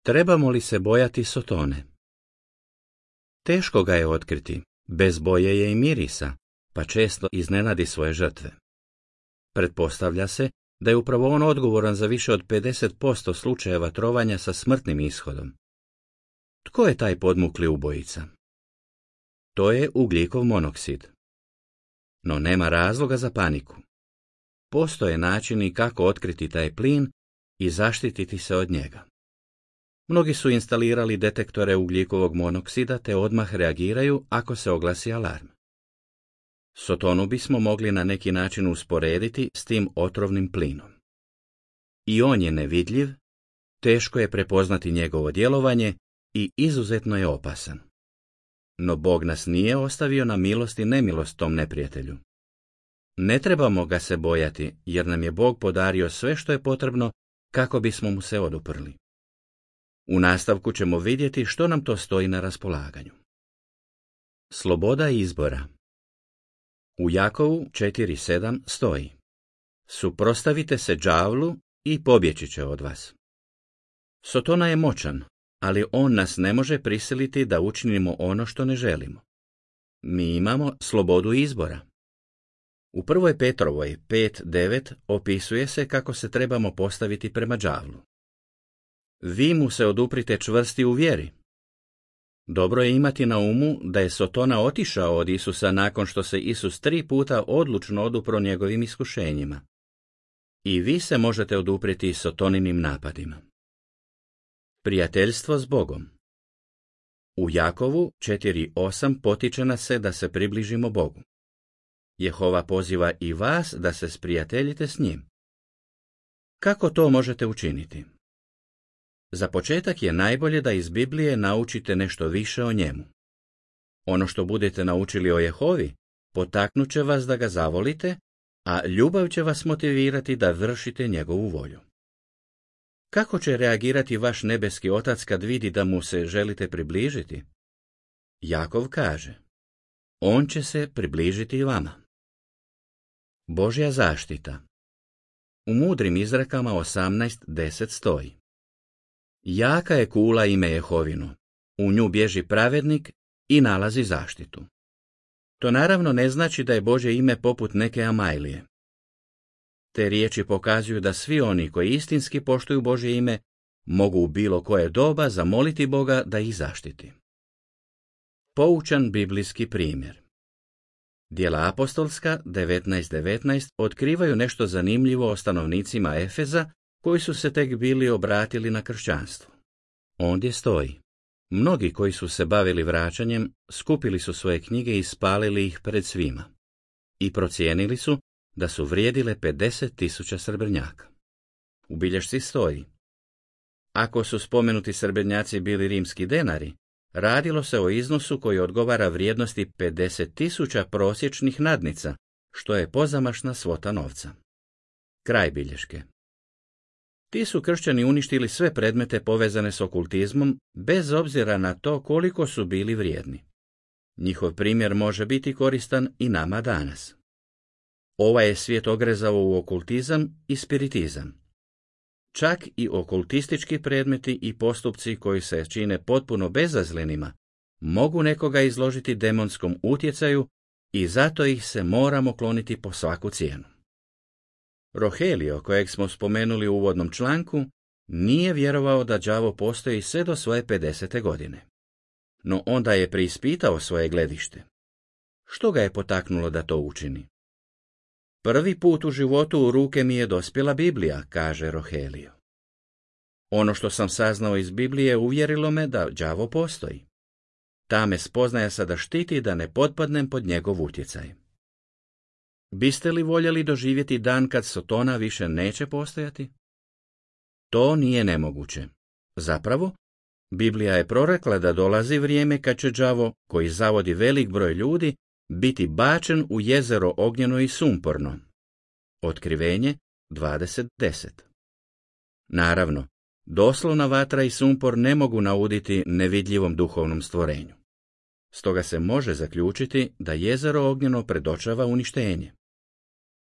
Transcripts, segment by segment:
Trebamo li se bojati Sotone? Teško ga je otkriti, bez boje je i mirisa, pa često iznenadi svoje žrtve. Pretpostavlja se da je upravo on odgovoran za više od 50% slučajeva trovanja sa smrtnim ishodom. Tko je taj podmukli ubojica? To je ugljikov monoksid. No nema razloga za paniku. Postoje načini kako otkriti taj plin i zaštititi se od njega. Mnogi su instalirali detektore ugljikovog monoksida te odmah reagiraju ako se oglasi alarm. Sotonu bismo mogli na neki način usporediti s tim otrovnim plinom. I on je nevidljiv, teško je prepoznati njegovo djelovanje i izuzetno je opasan. No Bog nas nije ostavio na milost i nemilost tom neprijatelju. Ne trebamo ga se bojati, jer nam je Bog podario sve što je potrebno kako bismo mu se oduprli. U nastavku ćemo vidjeti što nam to stoji na raspolaganju. Sloboda izbora. U Jakovu 4.7 stoji: suprotstavite se đavlu i pobjeći će od vas. Sotona je moćan, ali on nas ne može prisiliti da učinimo ono što ne želimo. Mi imamo slobodu izbora. U 1. Petrovoj 5.9 opisuje se kako se trebamo postaviti prema đavlu. Vi mu se oduprite čvrsti u vjeri. Dobro je imati na umu da je Sotona otišao od Isusa nakon što se Isus 3 puta odlučno odupro njegovim iskušenjima. I vi se možete oduprijeti Sotoninim napadima. Prijateljstvo s Bogom. U Jakovu 4.8 potiče nas se da se približimo Bogu. Jehova poziva i vas da se sprijateljite s njim. Kako to možete učiniti? Za početak je najbolje da iz Biblije naučite nešto više o njemu. Ono što budete naučili o Jehovi potaknut će vas da ga zavolite, a ljubav će vas motivirati da vršite njegovu volju. Kako će reagirati vaš nebeski otac kad vidi da mu se želite približiti? Jakov kaže: on će se približiti vama. Božja zaštita. U mudrim izrekama 18.10 stoji: jaka je kula ime Jehovino, u nju bježi pravednik i nalazi zaštitu. To naravno ne znači da je Božje ime poput neke Amajlije. Te riječi pokazuju da svi oni koji istinski poštuju Božje ime mogu u bilo koje doba zamoliti Boga da ih zaštiti. Poučan biblijski primjer. Djela apostolska 19.19 otkrivaju nešto zanimljivo o stanovnicima Efeza koji su se tek bili obratili na kršćanstvo. Ondje stoji: mnogi koji su se bavili vraćanjem skupili su svoje knjige i spalili ih pred svima. I procijenili su da su vrijedile 50.000 srebrnjaka. U bilješci stoji: ako su spomenuti srebrnjaci bili rimski denari, radilo se o iznosu koji odgovara vrijednosti 50.000 prosječnih nadnica, što je pozamašna svota novca. Kraj bilješke. Ti su kršćani uništili sve predmete povezane s okultizmom, bez obzira na to koliko su bili vrijedni. Njihov primjer može biti koristan i nama danas. Ovaj je svijet ogrezao u okultizam i spiritizam. Čak i okultistički predmeti i postupci koji se čine potpuno bezazlenima mogu nekoga izložiti demonskom utjecaju i zato ih se moramo kloniti po svaku cijenu. Rogelio, kojeg smo spomenuli u uvodnom članku, nije vjerovao da đavo postoji sve do svoje 50. godine. No onda je preispitao svoje gledište. Što ga je potaknulo da to učini? Prvi put u životu u ruke mi je dospjela Biblija, kaže Rogelio. Ono što sam saznao iz Biblije uvjerilo me da đavo postoji. Ta me spoznaja sada štiti da ne potpadnem pod njegov utjecaj. Biste li voljeli doživjeti dan kad Sotona više neće postojati? To nije nemoguće. Zapravo, Biblija je prorekla da dolazi vrijeme kad će đavo, koji zavodi velik broj ljudi, biti bačen u jezero ognjeno i sumporno. Otkrivenje 20.10. Naravno, doslovna vatra i sumpor ne mogu nauditi nevidljivom duhovnom stvorenju. Stoga se može zaključiti da jezero ognjeno predočava uništenje.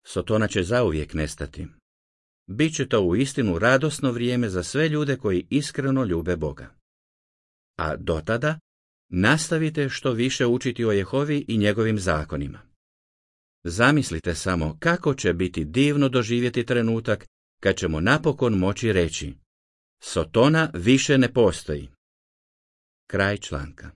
Sotona će zauvijek nestati. Biće to uistinu radosno vrijeme za sve ljude koji iskreno ljube Boga. A dotada nastavite što više učiti o Jehovi i njegovim zakonima. Zamislite samo kako će biti divno doživjeti trenutak kad ćemo napokon moći reći: Sotona više ne postoji. Kraj članka.